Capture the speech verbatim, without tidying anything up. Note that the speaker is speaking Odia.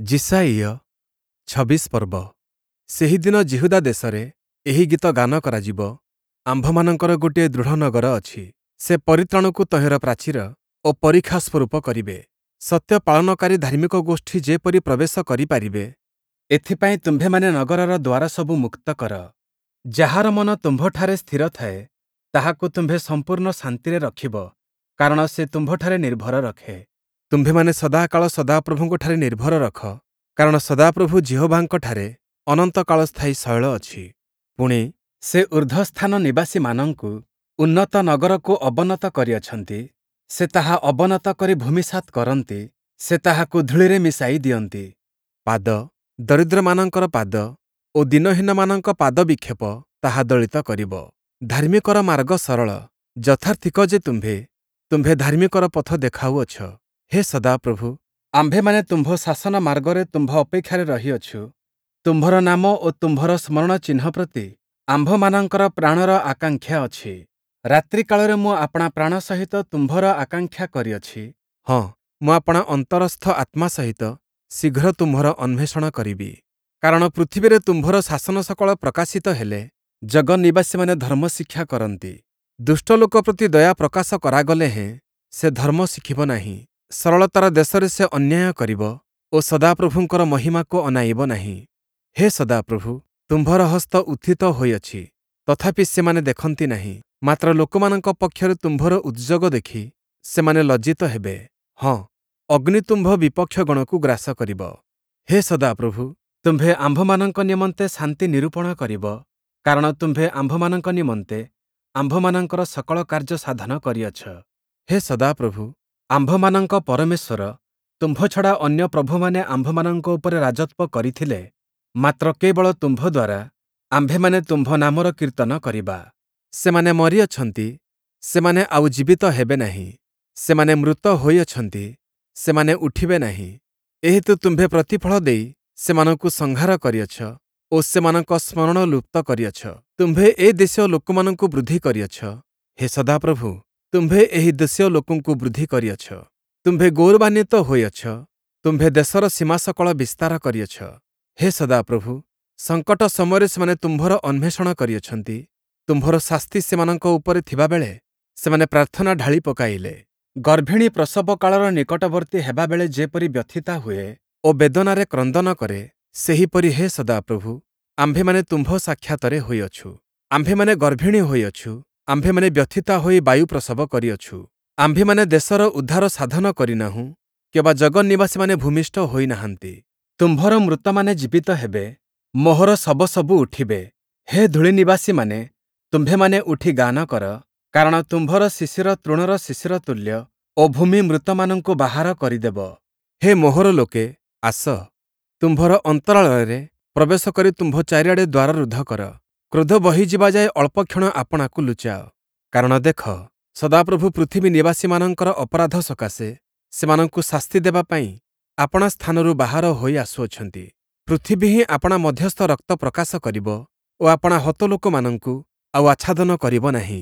ଯିଶାଇୟ ଛବିଶ ପର୍ବ। ସେହିଦିନ ଯିହୁଦା ଦେଶରେ ଏହି ଗୀତ ଗାନ କରାଯିବ, ଆମ୍ଭମାନଙ୍କର ଗୋଟିଏ ଦୃଢ଼ ନଗର ଅଛି। ସେ ପରିତ୍ରାଣକୁ ତହିଁର ପ୍ରାଚୀର ଓ ପରୀକ୍ଷା ସ୍ୱରୂପ କରିବେ। ସତ୍ୟ ପାଳନକାରୀ ଧାର୍ମିକ ଗୋଷ୍ଠୀ ଯେପରି ପ୍ରବେଶ କରିପାରିବେ, ଏଥିପାଇଁ ତୁମ୍ଭେମାନେ ନଗରର ଦ୍ୱାରସବୁ ମୁକ୍ତ କର। ଯାହାର ମନ ତୁମ୍ଭଠାରେ ସ୍ଥିର ଥାଏ, ତାହାକୁ ତୁମ୍ଭେ ସମ୍ପୂର୍ଣ୍ଣ ଶାନ୍ତିରେ ରଖିବ, କାରଣ ସେ ତୁମ୍ଭଠାରେ ନିର୍ଭର ରଖେ। ତୁମ୍ଭେମାନେ ସଦାକାଳ ସଦାପ୍ରଭୁଙ୍କଠାରେ ନିର୍ଭର ରଖ, କାରଣ ସଦାପ୍ରଭୁ ଯିହୋବାଙ୍କଠାରେ ଅନନ୍ତକାଳସ୍ଥାୟୀ ଶୈଳ ଅଛି। ପୁଣି, ସେ ଊର୍ଦ୍ଧ୍ୱସ୍ଥାନ ନିବାସୀମାନଙ୍କୁ ଉନ୍ନତ ନଗରକୁ ଅବନତ କରିଅଛନ୍ତି, ସେ ତାହା ଅବନତ କରି ଭୂମିସାତ୍ କରନ୍ତି, ସେ ତାହାକୁ ଧୂଳିରେ ମିଶାଇ ଦିଅନ୍ତି। ପାଦ, ଦରିଦ୍ରମାନଙ୍କର ପାଦ ଓ ଦୀନହୀନମାନଙ୍କ ପାଦବିକ୍ଷେପ ତାହା ଦଳିତ କରିବ। ଧାର୍ମିକର ମାର୍ଗ ସରଳ, ଯଥାର୍ଥିକ ଯେ ତୁମ୍ଭେ, ତୁମ୍ଭେ ଧାର୍ମିକର ପଥ ଦେଖାଉଅଛ। ହେ ସଦାପ୍ରଭୁ, ଆମ୍ଭେମାନେ ତୁମ୍ଭ ଶାସନ ମାର୍ଗରେ ତୁମ୍ଭ ଅପେକ୍ଷାରେ ରହିଅଛୁ, ତୁମ୍ଭର ନାମ ଓ ତୁମ୍ଭର ସ୍ମରଣ ଚିହ୍ନ ପ୍ରତି ଆମ୍ଭମାନଙ୍କର ପ୍ରାଣର ଆକାଂକ୍ଷା ଅଛି। ରାତ୍ରିକାଳରେ ମୁଁ ଆପଣା ପ୍ରାଣ ସହିତ ତୁମ୍ଭର ଆକାଂକ୍ଷା କରିଅଛି, ହଁ, ମୁଁ ଆପଣା ଅନ୍ତରସ୍ଥ ଆତ୍ମା ସହିତ ଶୀଘ୍ର ତୁମ୍ଭର ଅନ୍ୱେଷଣ କରିବି। କାରଣ ପୃଥିବୀରେ ତୁମ୍ଭର ଶାସନ ସକଳ ପ୍ରକାଶିତ ହେଲେ ଜଗନ୍ନିବାସୀମାନେ ଧର୍ମ ଶିକ୍ଷା କରନ୍ତି। ଦୁଷ୍ଟ ଲୋକ ପ୍ରତି ଦୟା ପ୍ରକାଶ କରାଗଲେ ହେଁ ସେ ଧର୍ମ ଶିଖିବ ନାହିଁ। ସରଳତାର ଦେଶରେ ସେ ଅନ୍ୟାୟ କରିବ ଓ ସଦାପ୍ରଭୁଙ୍କର ମହିମାକୁ ଅନାଇବ ନାହିଁ। ହେ ସଦାପ୍ରଭୁ, ତୁମ୍ଭର ହସ୍ତ ଉତ୍ଥିତ ହୋଇଅଛି, ତଥାପି ସେମାନେ ଦେଖନ୍ତି ନାହିଁ। ମାତ୍ର ଲୋକମାନଙ୍କ ପକ୍ଷରେ ତୁମ୍ଭର ଉଦ୍ଯୋଗ ଦେଖି ସେମାନେ ଲଜ୍ଜିତ ହେବେ। ହଁ, ଅଗ୍ନି ତୁମ୍ଭ ବିପକ୍ଷଗଣକୁ ଗ୍ରାସ କରିବ। ହେ ସଦାପ୍ରଭୁ, ତୁମ୍ଭେ ଆମ୍ଭମାନଙ୍କ ନିମନ୍ତେ ଶାନ୍ତି ନିରୂପଣ କରିବ, କାରଣ ତୁମ୍ଭେ ଆମ୍ଭମାନଙ୍କ ନିମନ୍ତେ ଆମ୍ଭମାନଙ୍କର ସକଳ କାର୍ଯ୍ୟ ସାଧନ କରିଅଛ। ହେ ସଦାପ୍ରଭୁ, ଆମ୍ଭମାନଙ୍କ ପରମେଶ୍ୱର, ତୁମ୍ଭ ଛଡ଼ା ଅନ୍ୟ ପ୍ରଭୁମାନେ ଆମ୍ଭମାନଙ୍କ ଉପରେ ରାଜତ୍ୱ କରିଥିଲେ, ମାତ୍ର କେବଳ ତୁମ୍ଭ ଦ୍ୱାରା ଆମ୍ଭେମାନେ ତୁମ୍ଭ ନାମର କୀର୍ତ୍ତନ କରିବା। ସେମାନେ ମରିଅଛନ୍ତି, ସେମାନେ ଆଉ ଜୀବିତ ହେବେ ନାହିଁ, ସେମାନେ ମୃତ ହୋଇଅଛନ୍ତି, ସେମାନେ ଉଠିବେ ନାହିଁ। ଏହେତୁ ତୁମ୍ଭେ ପ୍ରତିଫଳ ଦେଇ ସେମାନଙ୍କୁ ସଂହାର କରିଅଛ ଓ ସେମାନଙ୍କ ସ୍ମରଣ ଲୁପ୍ତ କରିଅଛ। ତୁମ୍ଭେ ଏ ଦେଶୀୟ ଲୋକମାନଙ୍କୁ ବୃଦ୍ଧି କରିଅଛ। ହେ ସଦାପ୍ରଭୁ, ତୁମ୍ଭେ ଏହି ଦେଶୀୟ ଲୋକଙ୍କୁ ବୃଦ୍ଧି କରିଅଛ। ତୁମ୍ଭେ ଗୌରବାନ୍ୱିତ ହୋଇଅଛ, ତୁମ୍ଭେ ଦେଶର ସୀମାସକଳ ବିସ୍ତାର କରିଅଛ। ହେ ସଦାପ୍ରଭୁ, ସଙ୍କଟ ସମୟରେ ସେମାନେ ତୁମ୍ଭର ଅନ୍ୱେଷଣ କରିଅଛନ୍ତି, ତୁମ୍ଭର ଶାସ୍ତି ସେମାନଙ୍କ ଉପରେ ଥିବାବେଳେ ସେମାନେ ପ୍ରାର୍ଥନା ଢାଳି ପକାଇଲେ। ଗର୍ଭିଣୀ ପ୍ରସବ କାଳର ନିକଟବର୍ତ୍ତୀ ହେବାବେଳେ ଯେପରି ବ୍ୟଥିତା ହୁଏ ଓ ବେଦନାରେ କ୍ରନ୍ଦନ କରେ, ସେହିପରି ହେ ସଦାପ୍ରଭୁ, ଆମ୍ଭେମାନେ ତୁମ୍ଭ ସାକ୍ଷାତରେ ହୋଇଅଛୁ। ଆମ୍ଭେମାନେ ଗର୍ଭିଣୀ ହୋଇଅଛୁ, ଆମ୍ଭେମାନେ ବ୍ୟଥିତା ହୋଇ ବାୟୁ ପ୍ରସବ କରିଅଛୁ। ଆମ୍ଭେମାନେ ଦେଶର ଉଦ୍ଧାର ସାଧନ କରିନାହୁଁ, କିମ୍ବା ଜଗନ୍ନିବାସୀମାନେ ଭୂମିଷ୍ଠ ହୋଇନାହାନ୍ତି। ତୁମ୍ଭର ମୃତମାନେ ଜୀବିତ ହେବେ, ମୋହର ଶବସବୁ ଉଠିବେ। ହେ ଧୂଳିନିବାସୀମାନେ, ତୁମ୍ଭେମାନେ ଉଠି ଗାନ କର, କାରଣ ତୁମ୍ଭର ଶିଶିର ତୃଣର ଶିଶିର ତୁଲ୍ୟ ଓ ଭୂମି ମୃତମାନଙ୍କୁ ବାହାର କରିଦେବ। ହେ ମୋହର ଲୋକେ, ଆସ, ତୁମ୍ଭର ଅନ୍ତରାଳରେ ପ୍ରବେଶ କରି ତୁମ୍ଭ ଚାରିଆଡ଼େ ଦ୍ୱାର ରୁଦ୍ଧ କର। କ୍ରୋଧ ବହିଯିବା ଯାଏ ଅଳ୍ପକ୍ଷଣ ଆପଣାକୁ ଲୁଚାଅ। କାରଣ ଦେଖ, ସଦାପ୍ରଭୁ ପୃଥିବୀ ନିବାସୀମାନଙ୍କର ଅପରାଧ ସକାଶେ ସେମାନଙ୍କୁ ଶାସ୍ତି ଦେବା ପାଇଁ ଆପଣା ସ୍ଥାନରୁ ବାହାର ହୋଇ ଆସୁଅଛନ୍ତି। ପୃଥିବୀ ହିଁ ଆପଣା ମଧ୍ୟସ୍ଥ ରକ୍ତ ପ୍ରକାଶ କରିବ ଓ ଆପଣା ହତ ଲୋକମାନଙ୍କୁ ଆଉ ଆଚ୍ଛାଦନ କରିବ ନାହିଁ।